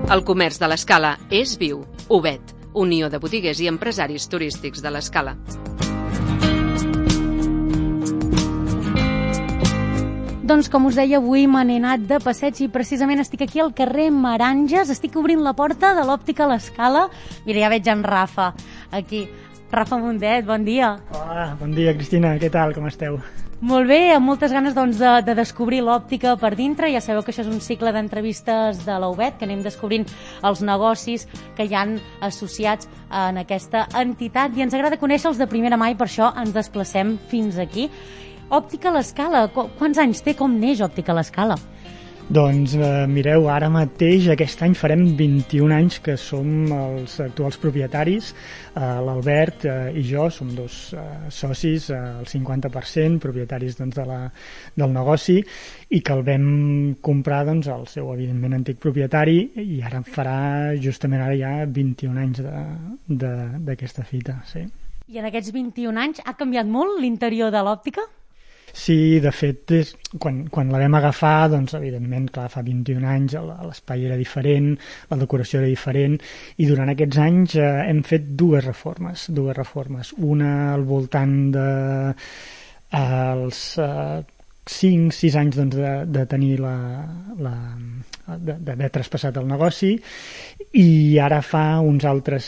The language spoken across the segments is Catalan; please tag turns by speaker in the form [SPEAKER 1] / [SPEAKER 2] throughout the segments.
[SPEAKER 1] El comerç de l'Escala és viu. Ubet, Unió de Botiguers i Empresaris Turístics de l'Escala.
[SPEAKER 2] Doncs com us deia, avui me n'he anat de passeig i precisament estic aquí al carrer Meranges, estic obrint la porta de l'Òptica l'Escala. Mira, ja veig en Rafa aquí. Rafa Mundet, bon dia.
[SPEAKER 3] Hola, bon dia, Cristina, què tal, com esteu?
[SPEAKER 2] Molt bé, amb moltes ganes de descobrir l'òptica per dintre. Ja sabeu que això és un cicle d'entrevistes de la Ubet, que anem descobrint els negocis que hi han associats en aquesta entitat i ens agrada conèixer-los de primera mà i per això ens desplacem fins aquí. Òptica l'Escala, quants anys té? Com neix Òptica l'Escala?
[SPEAKER 3] Doncs mireu, ara mateix, aquest any farem 21 anys que som els actuals propietaris. L'Albert i jo som dos socis, el 50%, propietaris doncs, del negoci, i que el vam comprar doncs, el seu, evidentment, antic propietari, i ara farà justament ara ja 21 anys d'aquesta fita. Sí.
[SPEAKER 2] I en aquests 21 anys ha canviat molt l'interior de l'òptica?
[SPEAKER 3] Sí, de fet, quan la vam agafar, doncs, evidentment, clar, fa 21 anys l'espai era diferent, la decoració era diferent, i durant aquests anys hem fet dues reformes. Una al voltant dels 5-6 anys doncs, de tenir d'haver traspassat el negoci, i ara fa uns altres,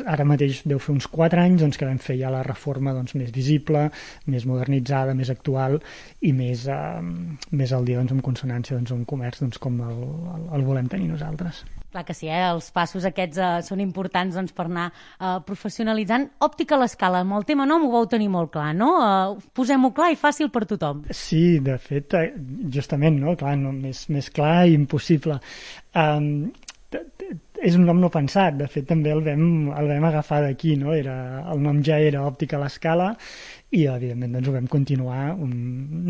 [SPEAKER 3] ara mateix deu fer uns 4 anys doncs, que vam fer ja la reforma doncs, més visible, més modernitzada, més actual i més al dia doncs, en consonància doncs, un comerç doncs, com el volem tenir nosaltres.
[SPEAKER 2] Clar que sí, els passos aquests són importants doncs, per anar professionalitzant. Òptica l'Escala, amb el tema nom ho vau tenir molt clar, no? Posem-ho clar i fàcil per tothom.
[SPEAKER 3] Sí, de fet, justament, no? Clar, no, més clar i impossible. És un nom no pensat, de fet també el vam agafar d'aquí, no? El nom ja era Òptica l'Escala i evidentment doncs, ho vam continuar, un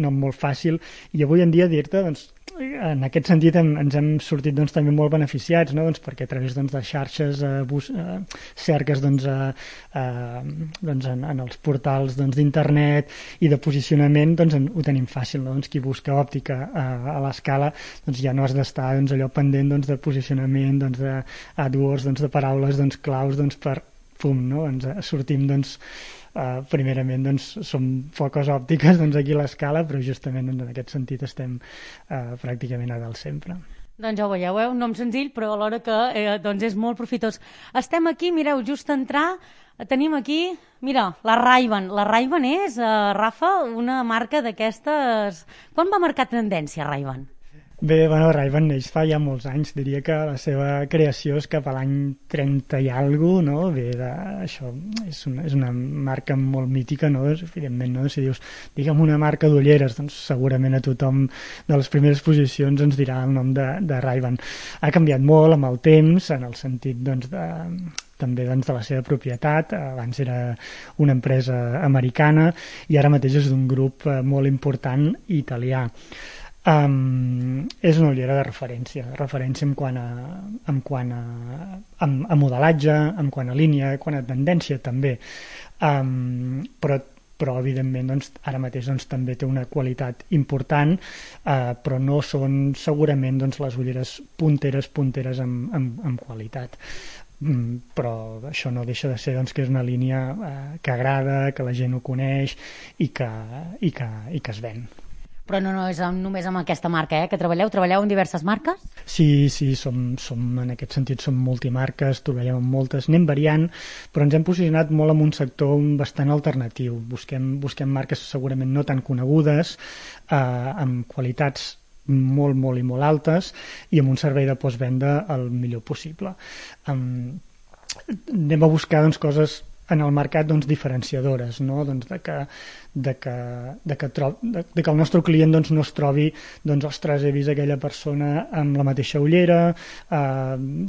[SPEAKER 3] nom molt fàcil, i avui en dia dir-te, doncs, en aquest sentit ens hem sortit doncs, també molt beneficiats, no? Doncs, perquè a través doncs, de xarxes, cerques doncs, doncs, en els portals doncs, d'internet i de posicionament doncs, ho tenim fàcil, no? Doncs, qui busca òptica a l'Escala doncs, ja no has d'estar doncs, allò pendent doncs, de posicionament, doncs, de AdWords, doncs, de paraules doncs, claus doncs, per pum, no? Ens sortim doncs, primerament doncs, som foques òptiques doncs, aquí a l'Escala, però justament doncs, en aquest sentit estem pràcticament a dalt sempre.
[SPEAKER 2] Doncs ja ho veieu, un nom senzill però alhora que doncs és molt profitós. Estem aquí, mireu, just a entrar tenim aquí, mira, la Ray-Ban. La Ray-Ban és, Rafa, una marca d'aquestes... Quan va marcar tendència Ray-Ban?
[SPEAKER 3] Bé, bueno, Ray-Ban neix fa ja molts anys, diria que la seva creació és cap a l'any 30 i alguna cosa, no? Bé, això és una marca molt mítica, no? Evidentment, no? Si dius, digue'm una marca d'ulleres, doncs segurament a tothom de les primeres posicions ens dirà el nom de Ray-Ban. Ha canviat molt amb el temps, en el sentit, doncs, també doncs, de la seva propietat. Abans era una empresa americana i ara mateix és d'un grup molt important italià. És una ullera de referència en quant a modelatge, en quant a línia, en quant a tendència també, però evidentment doncs, ara mateix doncs, també té una qualitat important, però no són segurament doncs, les ulleres punteres en qualitat. Però això no deixa de ser doncs, que és una línia que agrada, que la gent ho coneix i que es ven.
[SPEAKER 2] Però no és només amb aquesta marca que treballeu en diverses marques?
[SPEAKER 3] Sí, som en aquest sentit som multimarques, treballem amb moltes, anem variant, però ens hem posicionat molt en un sector bastant alternatiu. Busquem marques segurament no tan conegudes, amb qualitats molt, molt i molt altes i amb un servei de postvenda el millor possible. Anem a buscar doncs, coses en el mercat doncs, diferenciadores, no? Doncs de que el nostre client doncs, no es trobi ostres, he vist aquella persona amb la mateixa ullera,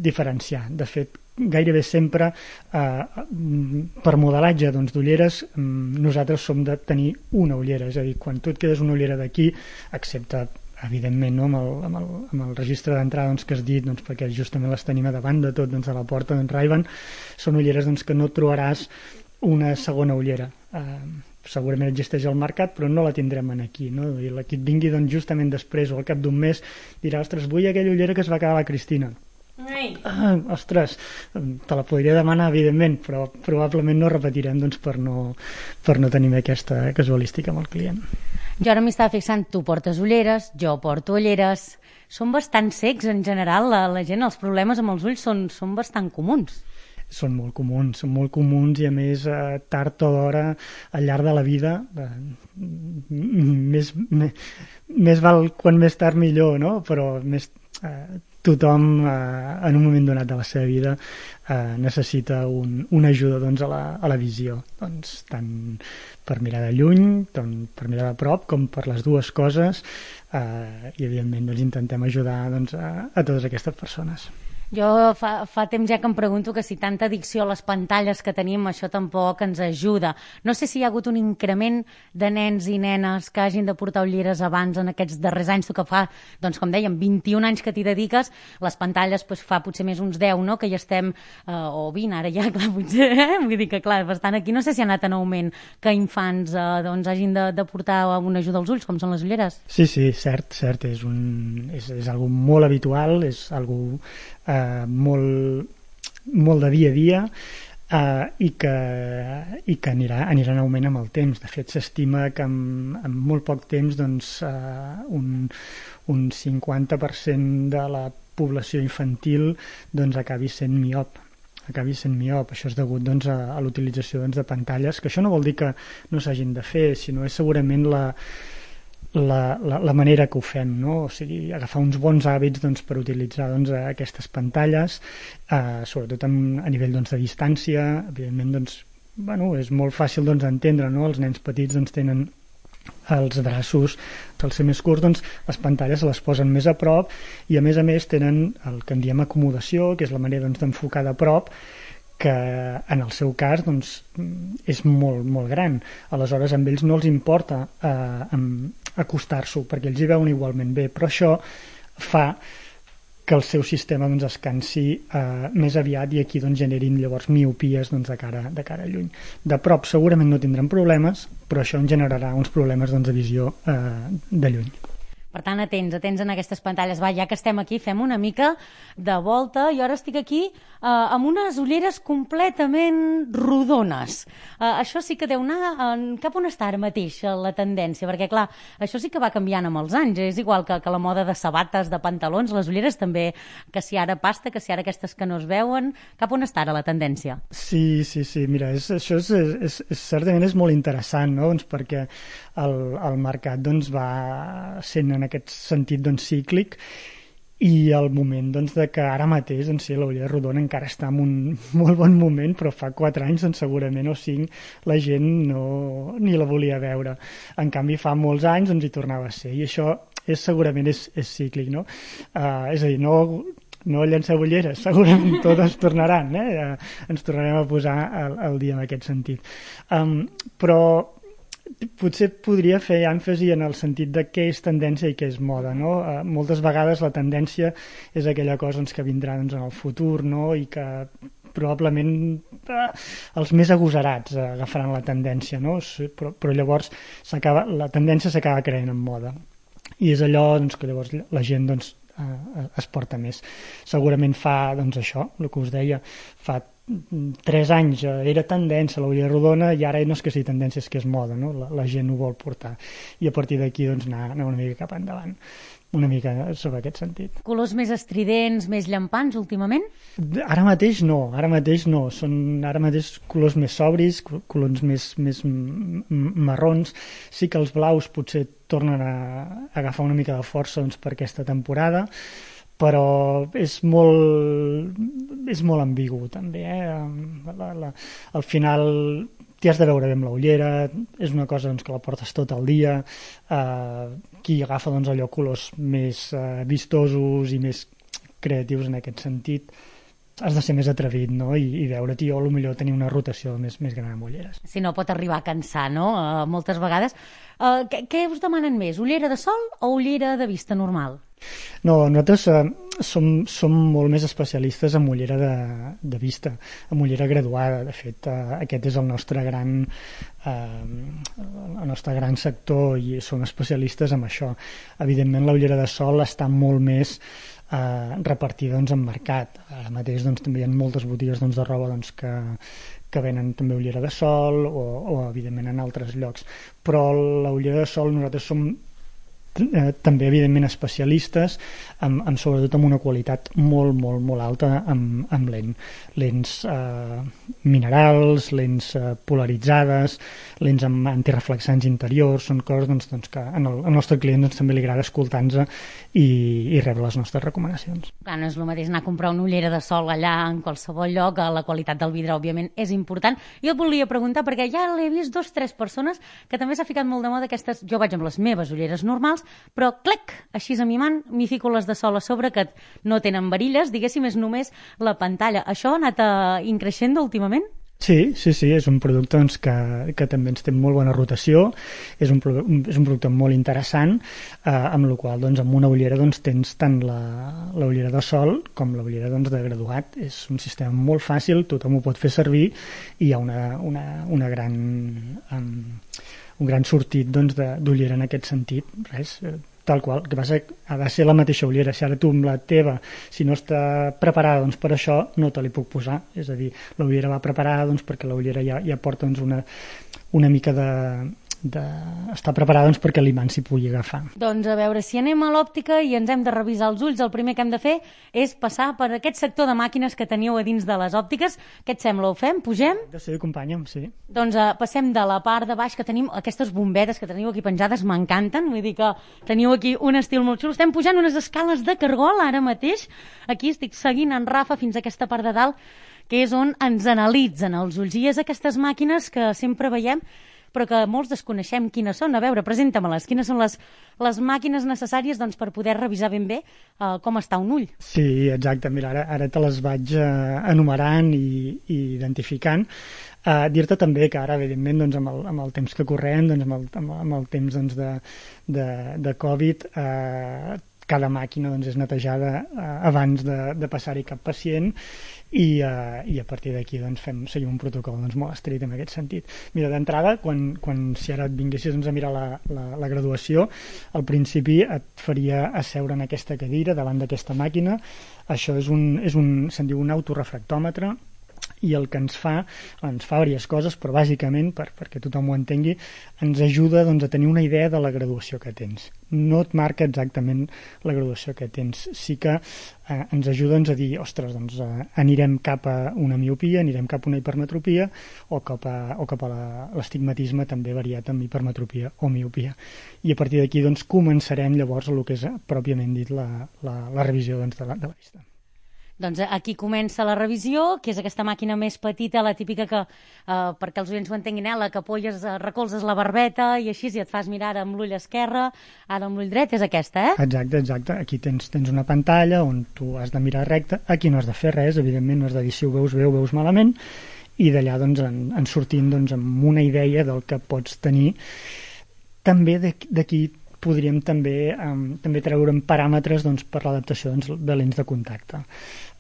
[SPEAKER 3] diferenciar. De fet, gairebé sempre per modelatge d'ulleres nosaltres som de tenir una ullera, és a dir, quan tu et quedes una ullera d'aquí, excepte evidentment no? amb el registre d'entrada doncs, que has dit, doncs, perquè justament les tenim a davant de tot, doncs, a la porta d'en Ray-Ban, són ulleres doncs, que no trobaràs una segona ullera. Segurament existeix al mercat, però no la tindrem aquí, no? I la que et vingui doncs, justament després o al cap d'un mes dirà, ostres, vull aquella ullera que es va quedar la Cristina. Ostres, te la podria demanar, evidentment, però probablement no repetirem doncs, per no tenir aquesta casualística amb el client.
[SPEAKER 2] Jo ara m'hi estava fixant, tu portes ulleres, jo porto ulleres. Són bastant cecs en general, la gent, els problemes amb els ulls són bastant comuns.
[SPEAKER 3] Són molt comuns i a més tard o d'hora al llarg de la vida més val quan més tard millor, no? Però tothom en un moment donat de la seva vida necessita una ajuda doncs, a la visió, doncs, tant per mirar de lluny, tant per mirar de prop, com per les dues coses, i evidentment doncs, intentem ajudar doncs, a totes aquestes persones.
[SPEAKER 2] Jo fa temps ja que em pregunto que si tanta addicció a les pantalles que tenim, això tampoc ens ajuda. No sé si hi ha hagut un increment de nens i nenes que hagin de portar ulleres abans en aquests darrers anys. Tu que fa, doncs com dèiem, 21 anys que t'hi dediques, les pantalles doncs, fa potser més uns 10, no?, que ja estem, o 20, ara ja, clar, potser, vull dir que clar, bastant aquí. No sé si ha anat en augment que infants doncs, hagin de portar una ajuda als ulls, com són les ulleres.
[SPEAKER 3] Sí, cert, és algo molt habitual, és algo molt de dia a dia i que anirà en augment amb el temps. De fet, s'estima que en molt poc temps doncs, un 50% de la població infantil doncs, acabi sent miop. Això és degut doncs, a l'utilització doncs, de pantalles, que això no vol dir que no s'hagin de fer, sinó és segurament la manera que ho fem, no? O sigui, agafar uns bons hàbits doncs, per utilitzar doncs, aquestes pantalles, sobretot a nivell doncs, de distància. Evidentment doncs, és molt fàcil doncs, d'entendre, no? Els nens petits doncs, tenen els braços, al ser més curts, doncs, les pantalles se les posen més a prop i a més tenen el que en diem acomodació, que és la manera doncs, d'enfocar de prop, que en el seu cas doncs, és molt, molt gran. Aleshores, amb ells no els importa acostar-s'ho, perquè ells hi veuen igualment bé, però això fa que el seu sistema doncs, es cansi més aviat i aquí doncs, generin llavors miopies doncs, de cara a lluny. De prop segurament no tindran problemes, però això en generarà uns problemes doncs, de visió de lluny.
[SPEAKER 2] Per tant, atents en aquestes pantalles. Va, ja que estem aquí, fem una mica de volta. Jo ara estic aquí amb unes ulleres completament rodones. Això sí que deu anar cap on està ara mateix la tendència, perquè, clar, això sí que va canviant amb els anys. És igual que la moda de sabates, de pantalons, les ulleres també, que si ara pasta, que si ara aquestes que no es veuen. Cap on està ara la tendència?
[SPEAKER 3] Sí. Mira, això certament és molt interessant, no? Doncs perquè el mercat doncs, va sent en aquest sentit doncs, cíclic i el moment doncs, de que ara mateix doncs, sí, la ullera rodona encara està en un molt bon moment, però fa 4 anys doncs, segurament o 5 la gent ni la volia veure. En canvi fa molts anys doncs, hi tornava a ser i això segurament és cíclic, no? És a dir, no llanceu ulleres, segurament totes tornaran, ens tornarem a posar al dia en aquest sentit. Però potser podria fer èmfasi en el sentit de què és tendència i què és moda, no? Moltes vegades la tendència és aquella cosa doncs, que vindrà doncs, en el futur, no? I que probablement els més agosarats agafaran la tendència, no? Però llavors la tendència s'acaba creant en moda i és allò doncs, que llavors la gent doncs, es porta més. Segurament fa doncs, això, el que us deia, fa 3 anys era tendència la ullera rodona i ara no és que sigui tendència, és que és moda, no? La gent ho vol portar i a partir d'aquí doncs, anar una mica cap endavant, una mica sobre aquest sentit.
[SPEAKER 2] Colors més estridents, més llampants últimament?
[SPEAKER 3] Ara mateix no, són ara mateix colors més sobris, colors més marrons. Sí que els blaus potser tornen a agafar una mica de força doncs, per aquesta temporada, però és molt ambigu també, al final t'hi has de veure bé amb la ullera, és una cosa doncs, que la portes tot el dia, qui agafa doncs, allò colors més vistosos i més creatius en aquest sentit, has de ser més atrevit, no? I veure't o potser tenir una rotació més gran amb ulleres.
[SPEAKER 2] Si no, pot arribar a cansar, no? Moltes vegades. Què us demanen més, ullera de sol o ullera de vista normal?
[SPEAKER 3] No, nosaltres som molt més especialistes en ullera de vista, en ullera graduada. De fet, aquest és el nostre gran sector i som especialistes en això. Evidentment, la ullera de sol està molt més repartir en mercat. Ara mateix també hi ha moltes botigues de roba que venen també ullera de sol o evidentment en altres llocs, però la ullera de sol nosaltres som també evidentment especialistes sobretot amb una qualitat molt, molt, molt alta amb lents minerals, lents polaritzades, lents amb antireflexants interiors, són coses que al nostre client també li agrada escoltar-nos i rebre les nostres recomanacions.
[SPEAKER 2] Clar, no és el mateix anar a comprar una ullera de sol allà en qualsevol lloc, la qualitat del vidre òbviament és important. Jo et volia preguntar, perquè ja l'he vist 2 o 3 persones que també s'ha ficat molt de moda aquestes, jo vaig amb les meves ulleres normals, però clec, així amimant, m'hi fico les de sol a sobre que no tenen varilles, diguéssim, és només la pantalla. Això ha anat increixent últimament?
[SPEAKER 3] Sí, és un producte que també ens té molt bona rotació, és un producte molt interessant, amb la qual amb una ullera tens tant la ullera de sol com la ullera de graduat. És un sistema molt fàcil, tothom ho pot fer servir i hi ha un gran sortit d'ullera en aquest sentit. Res, tal qual, el que passa que ha de ser la mateixa ullera. Si ara tu amb la teva, si no està preparada per això, no te li puc posar. És a dir, la ullera va preparada perquè la ullera ja porta una mica està preparada perquè l'imant s'hi pugui agafar.
[SPEAKER 2] Doncs a veure, si anem a l'òptica i ens hem de revisar els ulls, el primer que hem de fer és passar per aquest sector de màquines que teniu a dins de les òptiques. Què et sembla? Ho fem? Pugem?
[SPEAKER 3] Sí, acompanya'm, sí.
[SPEAKER 2] Doncs passem de la part de baix, que tenim aquestes bombetes que teniu aquí penjades, m'encanten, vull dir que teniu aquí un estil molt xulo. Estem pujant unes escales de cargol ara mateix. Aquí estic seguint en Rafa fins a aquesta part de dalt, que és on ens analitzen els ulls. I és aquestes màquines que sempre veiem però que molts desconeixem quines són. A veure, presenta-me-les. Quines són les màquines necessàries per poder revisar ben bé com està un ull?
[SPEAKER 3] Sí, exacte. Mira, ara te les vaig enumerant i identificant. Dir-te també que ara, evidentment, amb el temps que correm, amb el temps de Covid, cada màquina és netejada abans de passar-hi cap pacient i a partir d'aquí seguim un protocol molt estricte en aquest sentit. Mira, d'entrada, si ara et vinguessis a mirar la graduació, al principi et faria asseure en aquesta cadira davant d'aquesta màquina. Això se'n diu un autorefractòmetre, i el que ens fa diverses coses, però bàsicament, perquè tothom ho entengui, ens ajuda a tenir una idea de la graduació que tens. No et marca exactament la graduació que tens, sí que ens ajuda a dir, ostres, anirem cap a una miopia, anirem cap a una hipermetropia o cap a l'estigmatisme també variat amb hipermetropia o miopia. I a partir d'aquí començarem llavors el que és pròpiament dit la revisió de la vista.
[SPEAKER 2] Doncs aquí comença la revisió, que és aquesta màquina més petita, la típica que, perquè els oients ho entenguin, la que recolzes la barbeta i així, i et fas mirar amb l'ull esquerre, ara amb l'ull dret, és aquesta,
[SPEAKER 3] Exacte. Aquí tens una pantalla on tu has de mirar recte, aquí no has de fer res, evidentment, no has de dir si ho veus bé o veus malament, i d'allà en sortint amb una idea del que pots tenir. També d'aquí podríem també treure'n paràmetres per l'adaptació de lents de contacte.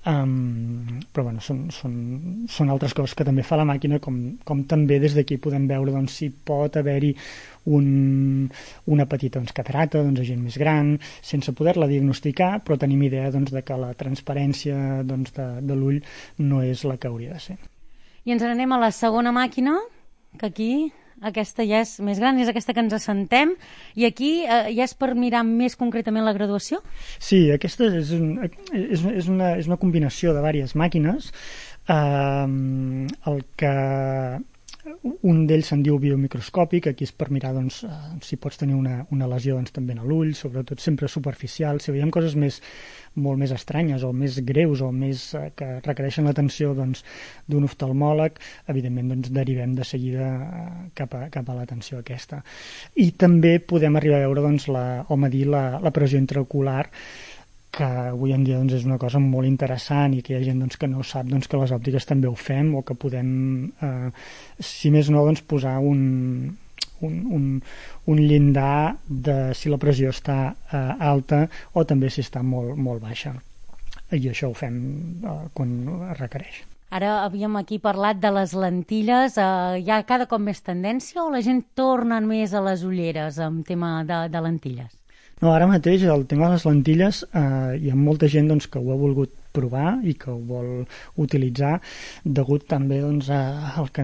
[SPEAKER 3] Però són altres coses que també fa la màquina, com també des d'aquí podem veure si pot haver-hi una petita cataracta a gent més gran, sense poder-la diagnosticar, però tenim idea de que la transparència de l'ull no és la que hauria de ser.
[SPEAKER 2] I ens n'anem a la segona màquina, que aquí aquesta ja és més gran, és aquesta que ens assentem, i aquí ja és per mirar més concretament la graduació?
[SPEAKER 3] Sí, aquesta és una combinació de diverses màquines. Un d'ells se'n diu biomicroscòpic, aquí és per mirar si pots tenir una lesió també a l'ull, sobretot sempre superficial. Si veiem coses molt més estranyes o més greus o més que requereixen l'atenció d'un oftalmòleg, evidentment derivem de seguida cap a l'atenció aquesta. I també podem arribar a veure o medir la pressió intraocular, que avui en dia és una cosa molt interessant i que hi ha gent que no sap que les òptiques també ho fem, o que podem, si més no, posar un llindar de si la pressió està alta o també si està molt, molt baixa. I això ho fem quan es requereix.
[SPEAKER 2] Ara havíem aquí parlat de les lentilles. Hi ha cada cop més tendència o la gent torna més a les ulleres en tema de lentilles?
[SPEAKER 3] No, ara mateix el tema de les lentilles hi ha molta gent doncs, que ho ha volgut provar i que ho vol utilitzar degut també doncs, al que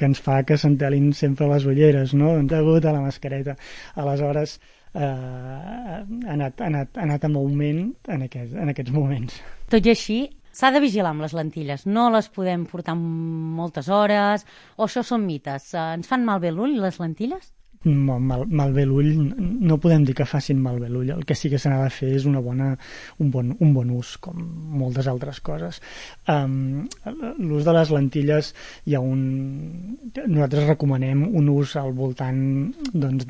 [SPEAKER 3] ens fa que s'entelin sempre les ulleres, no? Degut a la mascareta. Aleshores ha anat en augment en aquests moments.
[SPEAKER 2] Tot i així, s'ha de vigilar amb les lentilles. No les podem portar moltes hores, o això són mites. Ens fan malbé l'ull, les lentilles?
[SPEAKER 3] Malbé l'ull, no podem dir que facin malbé l'ull. El que sí que se n'ha de fer és un bon ús, com moltes altres coses. L'ús de les lentilles nosaltres recomanem un ús al voltant doncs,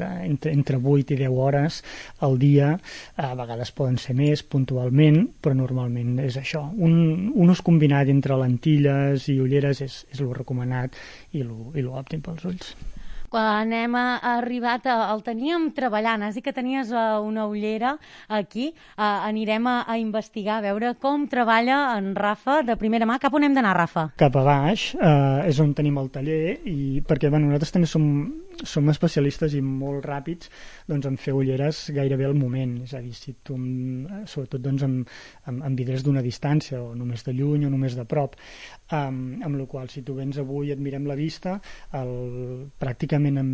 [SPEAKER 3] entre 8 i 10 hores al dia. A vegades poden ser més puntualment, però normalment és això. Un ús combinat entre lentilles i ulleres és el recomanat i l'òptim pels ulls.
[SPEAKER 2] Quan hem arribat, el teníem treballant, has dit que tenies una ullera aquí, anirem a investigar, a veure com treballa en Rafa de primera mà. Cap on hem d'anar, Rafa?
[SPEAKER 3] Cap a baix, és on tenim el taller, perquè nosaltres també som especialistes i molt ràpids doncs, en fer ulleres gairebé al moment, és a dir, si tu, sobretot doncs, amb vidres d'una distància, o només de lluny o només de prop, amb la qual si tu vens avui i et mirem la vista, pràcticament en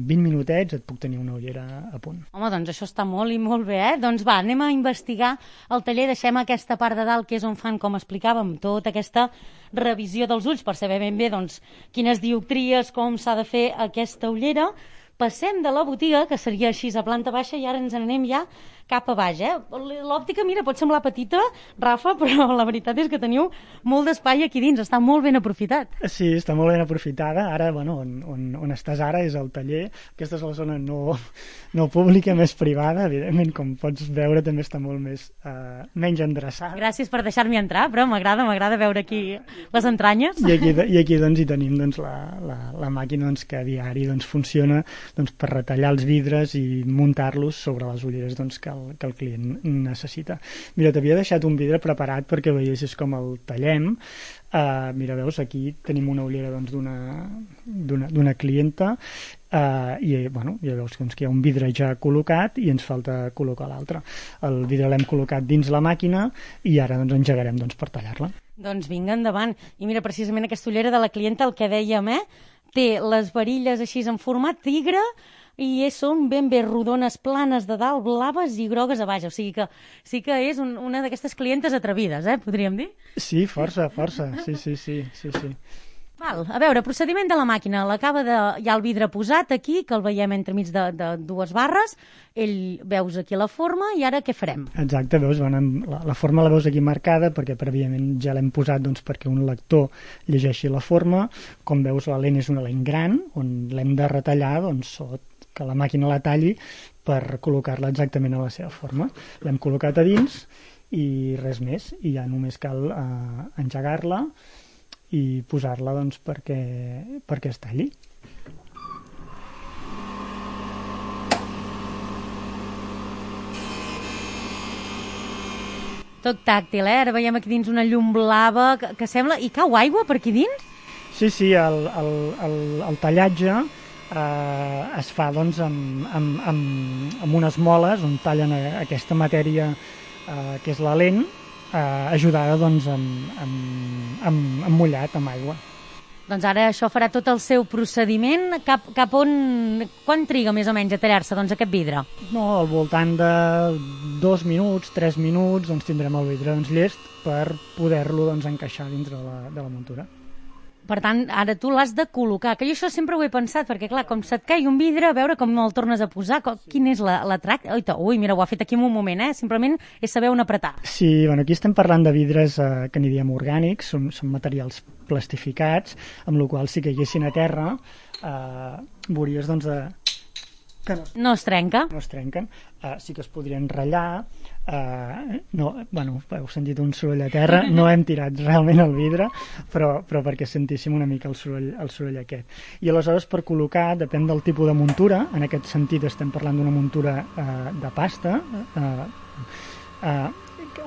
[SPEAKER 3] 20 minutets et puc tenir una ullera a punt.
[SPEAKER 2] Home, doncs això està molt i molt bé, Doncs va, anem a investigar el taller, deixem aquesta part de dalt que és on fan, com explicàvem, tota aquesta revisió dels ulls per saber ben bé doncs, quines dioptries, com s'ha de fer aquesta ullera. Passem de la botiga, que seria així a planta baixa, i ara ens anem ja cap a baix. L'òptica, mira, pot semblar petita, Rafa, però la veritat és que teniu molt d'espai aquí dins, està molt ben aprofitat.
[SPEAKER 3] Sí, està molt ben aprofitada. Ara, on estàs ara és el taller. Aquesta és la zona no pública, més privada. Evidentment, com pots veure, també està molt menys endreçada.
[SPEAKER 2] Gràcies per deixar-m'hi entrar, però m'agrada veure aquí les entranyes.
[SPEAKER 3] I aquí doncs, hi tenim doncs, la màquina doncs, que a diari doncs, funciona doncs, per retallar els vidres i muntar-los sobre les ulleres doncs, que el client necessita. Mira, t'havia deixat un vidre preparat perquè veiessis com el tallem. Mira, veus, aquí tenim una ullera doncs, d'una clienta i ja veus doncs, que hi ha un vidre ja col·locat i ens falta col·locar l'altre. El vidre l'hem col·locat dins la màquina i ara doncs, engegarem doncs, per tallar-la.
[SPEAKER 2] Doncs vinga, endavant. I mira, precisament aquesta ullera de la clienta, el que dèiem, té les varilles així en format tigre i són ben bé rodones, planes de dalt, blaves i grogues a baix. O sigui que sí que és una d'aquestes clientes atrevides, podríem dir?
[SPEAKER 3] Sí, força. Sí.
[SPEAKER 2] Val, a veure, procediment de la màquina. Hi ha el vidre posat aquí, que el veiem entremig de dues barres. Veus aquí la forma i ara què farem?
[SPEAKER 3] Exacte, veus, la forma la veus aquí marcada perquè prèviament ja l'hem posat doncs, perquè un lector llegeixi la forma. Com veus, la lent és una lent gran, on l'hem de retallar doncs, que la màquina la talli per col·locar-la exactament a la seva forma. L'hem col·locat a dins i res més, i ja només cal engegar-la i posar-la doncs, perquè es talli.
[SPEAKER 2] Tot tàctil, Ara veiem aquí dins una llum blava que sembla... I cau aigua per aquí dins?
[SPEAKER 3] Sí, el tallatge es fa doncs, amb unes moles on tallen aquesta matèria que és la lent, ajudada doncs, amb mullat, amb aigua.
[SPEAKER 2] Doncs ara això farà tot el seu procediment. Cap on... Quan triga més o menys a tallar-se doncs, aquest vidre?
[SPEAKER 3] No, al voltant de 2 minuts, 3 minuts, doncs tindrem el vidre doncs, llest per poder-lo doncs, encaixar dintre de la muntura.
[SPEAKER 2] Per tant, ara tu l'has de col·locar, que jo això sempre ho he pensat, perquè clar, com se't caigui un vidre, a veure com el tornes a posar, quin és l'atracte? Ui, mira, ho ha fet aquí en un moment, simplement és saber on apretar.
[SPEAKER 3] Sí, aquí estem parlant de vidres que n'hi diem orgànics, són materials plastificats, amb la qual si caiguessin a terra, veuries doncs, que
[SPEAKER 2] no es trenca.
[SPEAKER 3] No es trenquen. Sí que es podrien ratllar. Heu sentit un soroll a terra. No hem tirat realment el vidre, però perquè sentíssim una mica el soroll aquest. I aleshores, per col·locar, depèn del tipus de muntura. En aquest sentit estem parlant d'una muntura de pasta.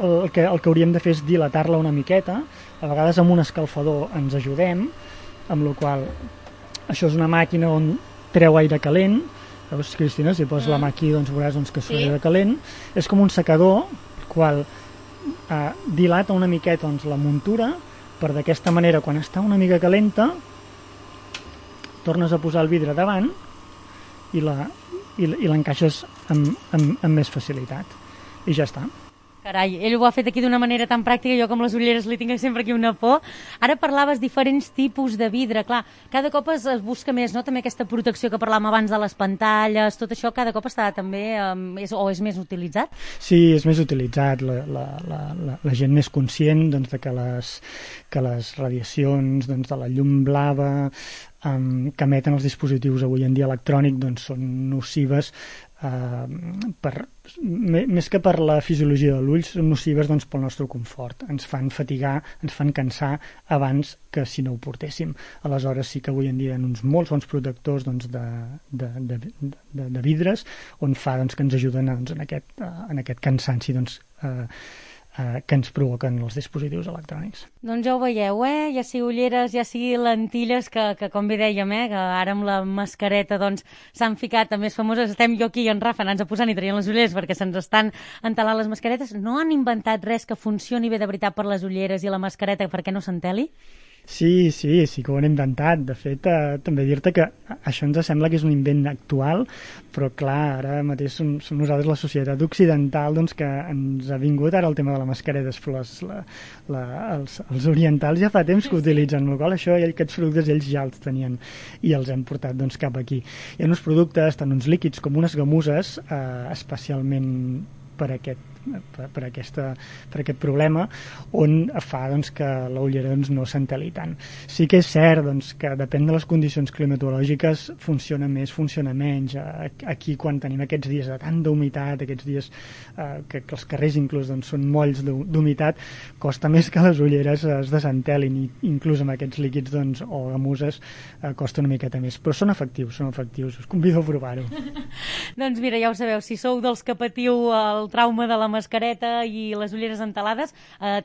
[SPEAKER 3] El que hauríem de fer és dilatar-la una miqueta. A vegades amb un escalfador ens ajudem, amb la qual això és una màquina on treu aire calent, Veus, Cristina, si poses la mà aquí, doncs veuràs que surt de calent. És com un secador, el qual dilata una miqueta la muntura, per d'aquesta manera, quan està una mica calenta, tornes a posar el vidre davant i l'encaixes amb més facilitat. I ja està.
[SPEAKER 2] Carai, ell ho ha fet aquí d'una manera tan pràctica, jo com les ulleres li tinc sempre aquí una por. Ara parlaves diferents tipus de vidre, clar, cada cop es busca més, no?, també aquesta protecció que parlàvem abans de les pantalles, tot això cada cop està també, és més utilitzat?
[SPEAKER 3] Sí, és més utilitzat, la gent més conscient que les radiacions de la llum blava que emeten els dispositius avui en dia electrònics són nocives, més que per la fisiologia de l'ull, són nocives pel nostre confort. Ens fan fatigar, ens fan cansar abans que si no ho portéssim. Aleshores sí que avui en dia hi ha uns molts bons protectors de vidres on fa que ens ajuden en aquest cansanci que ens provoquen els dispositius electrònics.
[SPEAKER 2] Doncs ja ho veieu, ja sigui ulleres, ja sigui lentilles, que com bé dèiem, que ara amb la mascareta s'han ficat a més famoses. Estem jo aquí i en Rafa anant-se posant i traient les ulleres perquè se'ns estan entelant les mascaretes. No han inventat res que funcioni bé de veritat per les ulleres i la mascareta perquè no s'enteli?
[SPEAKER 3] Sí que ho han inventat. De fet, també dir-te que això ens sembla que és un invent actual, però clar, ara mateix som nosaltres la societat occidental que ens ha vingut ara el tema de la mascareta, però els orientals ja fa temps que utilitzen, amb la qual cosa aquests productes ells ja els tenien i els hem portat cap aquí. Hi ha uns productes, tant uns líquids com unes gamuses, especialment per aquest problema, on fa que la ullera no s'enteli tant. Sí que és cert que depèn de les condicions climatològiques funciona més, funciona menys. Aquí quan tenim aquests dies de tanta humitat, aquests dies que els carrers inclús són molls d'humitat, costa més que les ulleres es desentelin, i inclús amb aquests líquids o gamuses costa una miqueta més, però són efectius, us convido a provar-ho.
[SPEAKER 2] Doncs mira, ja ho sabeu, si sou dels que patiu el trauma de la mascareta i les ulleres entelades,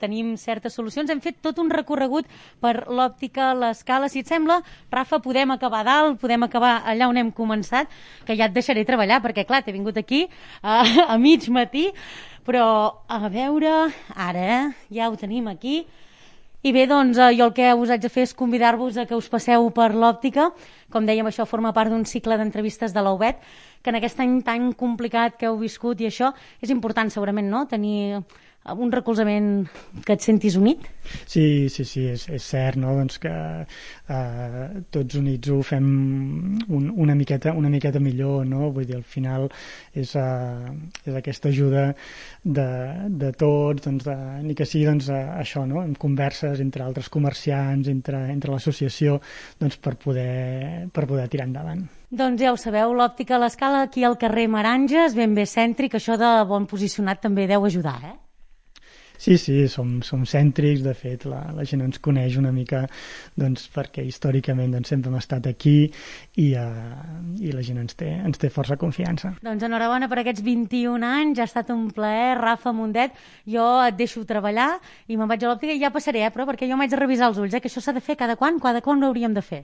[SPEAKER 2] tenim certes solucions. Hem fet tot un recorregut per l'òptica l'Escala. Si et sembla, Rafa, podem acabar dalt, podem acabar allà on hem començat, que ja et deixaré treballar, perquè clar, t'he vingut aquí a mig matí, però a veure, ara ja ho tenim aquí. I bé, doncs jo el que us haig de fer és convidar-vos a que us passeu per l'òptica. Com dèiem, això forma part d'un cicle d'entrevistes de la UBET, que en aquest any tan complicat que heu viscut i això, és important segurament, no?, tenir un recolzament que et sentis unit.
[SPEAKER 3] Sí, és cert, no?, que tots units ho fem una miqueta millor, no? Vull dir, al final és aquesta ajuda de tots, ni que sigui això, no?, en converses entre altres comerciants, entre l'associació, per poder tirar endavant.
[SPEAKER 2] Doncs ja ho sabeu, l'òptica a l'Escala, aquí al carrer Meranges, ben bé cèntric, això de bon posicionat també deu ajudar,
[SPEAKER 3] Sí, som cèntrics, de fet la gent ens coneix una mica perquè històricament sempre hem estat aquí i la gent ens té força confiança.
[SPEAKER 2] Doncs enhorabona per aquests 21 anys, ha estat un plaer, Rafa Mundet. Jo et deixo treballar i me'n vaig a l'òptica i ja passaré, però perquè jo m'haig de revisar els ulls, que això s'ha de fer cada quan ho hauríem de fer?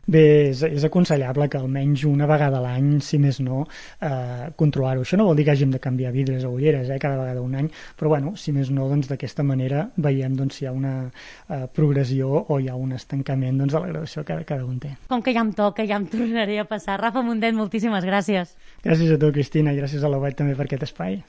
[SPEAKER 3] Bé, és aconsellable que almenys una vegada a l'any, si més no, controlar-ho. Això no vol dir que hàgim de canviar vidres o ulleres cada vegada un any, però si més no, d'aquesta manera veiem si hi ha una progressió o hi ha un estancament de la gradació que cada un té.
[SPEAKER 2] Com que ja em toca, ja em tornaré a passar. Rafa Mundet, moltíssimes gràcies.
[SPEAKER 3] Gràcies a tu, Cristina, i gràcies a la UBET també per aquest espai.